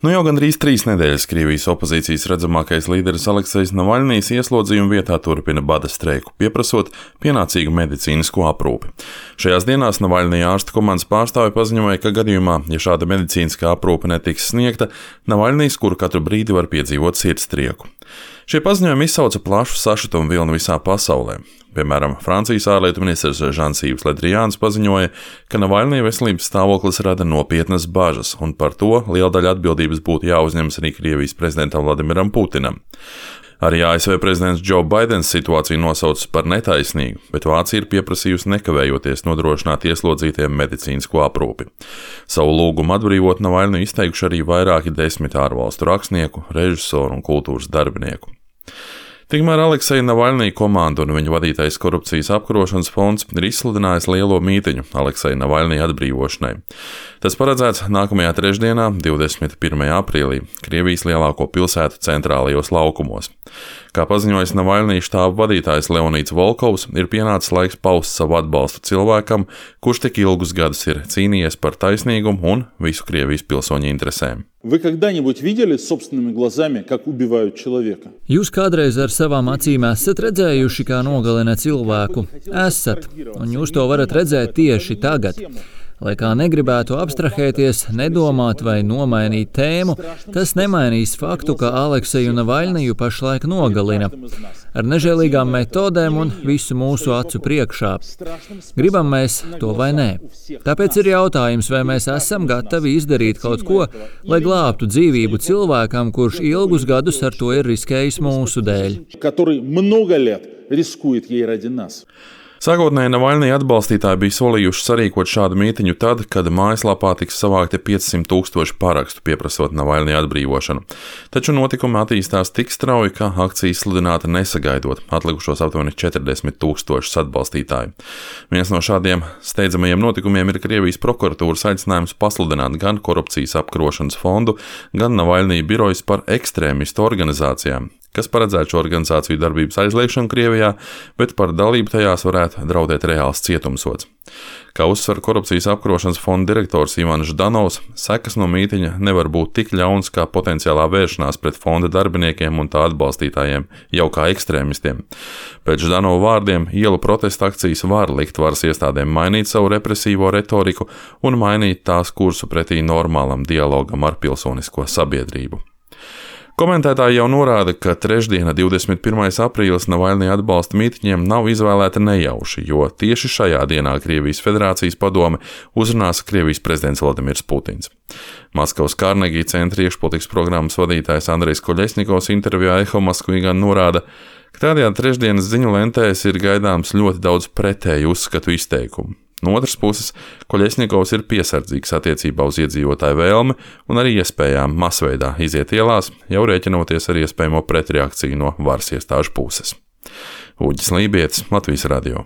Jau gandrīz 3 nedēļas Krievijas opozīcijas redzamākais līderis Aleksejs Navaļnijs ieslodzījuma vietā turpina bada streiku, pieprasot pienācīgu medicīnisko aprūpi. Šajās dienās Navaļnija ārstu komandas pārstāvi paziņoja, ka gadījumā, ja šāda medicīniskā aprūpe netiks sniegta, Navaļnijs kuru katru brīdi var piedzīvot sirdstrieku. Šie paziņojumi izsauca plašu sašutumu vilni visā pasaulē. Piemēram, Francijas ārlietu ministrs Žans-Yves Le Drians paziņoja, ka Navaļnija veselības stāvoklis rada nopietnas bažas, un par to liela daļa atbildības būtu jāuzņemas arī Krievijas prezidentam Vladimiram Putinam. Arī ASV prezidents Joe Baidens situāciju nosaucis par netaisnīgu, bet Vācija ir pieprasījusi nekavējoties nodrošināt ieslodzītiem medicīnisko aprūpi. Savu lūgumu atbrīvot Navaļniju izteikuši arī vairāki 10 ārvalstu rakstnieku, režisoru un kultūras darbinieku. Tikmēr Alekseja Navaļnija komanda un viņa vadītais korupcijas apkarošanas fonds ir izsludinājis lielo mītiņu Alekseja Navaļnija atbrīvošanai. Tas paredzēts nākamajā trešdienā, 21. aprīlī, Krievijas lielāko pilsētu centrālajos laukumos. Kā paziņojis Navaļnija štāba vadītājs Leonīds Volkovs, ir pienācis laiks paust savu atbalstu cilvēkam, kurš tik ilgus gadus ir cīnījies par taisnīgumu un visu Krievijas pilsoņu interesēm. Вы когда-нибудь видели собственными глазами, как убивают человека? Jūs kādreiz ar savām acīm esat redzējuši, kā nogalina cilvēku? Esat, un jūs to varat redzēt tieši tagad. Lai kā negribētu abstrahēties, nedomāt vai nomainīt tēmu, tas nemainīs faktu, ka Alekseju Navaļniju pašlaik nogalina. Ar nežēlīgām metodēm un visu mūsu acu priekšā. Gribam mēs to vai nē. Tāpēc ir jautājums, vai mēs esam gatavi izdarīt kaut ko, lai glābtu dzīvību cilvēkam, kurš ilgus gadus ar to ir riskējis mūsu dēļ. Sākotnēji Navaļnija atbalstītāji bija solījuši sarīkot šādu mītiņu tad, kad mājaslapā tiks savākti 500,000 parakstu pieprasot Navaļnija atbrīvošanu. Taču notikumi attīstās tik strauji, ka akcija sludināta nesagaidot atlikušos aptuveni 40,000 atbalstītāju. Viens no šādiem steidzamajiem notikumiem ir Krievijas prokuratūras aicinājums pasludināt gan korupcijas apkarošanas fondu, gan Navaļnija birojas par ekstrēmistu organizācijām, kas paredzētu šo organizāciju darbības aizliegšanu Krievijā, bet par dalību tajās varētu draudēt reāls cietumsods. Kā uzsver korupcijas apkarošanas fonda direktors Ivans Ždanovs, sekas no mītiņa nevar būt tik ļauns kā potenciālā vēršanās pret fonda darbiniekiem un tā atbalstītājiem, jau kā ekstrēmistiem. Pēc Ždanova vārdiem ielu protesta akcijas var likt varas iestādēm mainīt savu represīvo retoriku un mainīt tās kursu pretī normālam dialogam ar pilsonisko sabiedrību. Komentētāji jau norāda, ka trešdiena, 21. aprīlis, Navaļnija atbalsta mītiņiem nav izvēlēta nejauši, jo tieši šajā dienā Krievijas Federācijas padome uzrunās Krievijas prezidents Vladimirs Putins. Maskavas Kārnegī centra iekšpolitikas programmas vadītājs Andrejs Koļesņikovs intervijā Eho Moskvī gan norāda, ka tādējādi trešdienas ziņu lentēs ir gaidāms ļoti daudz pretēju uzskatu izteikumu. No otras puses, Koļesņikovs ir piesardzīgs attiecībā uz iedzīvotāju vēlmi un arī iespējām masveidā iziet ielās, jau rēķinoties ar iespējamo pretreakciju no varas iestāžu puses. Uģis Lībietis, Latvijas radio.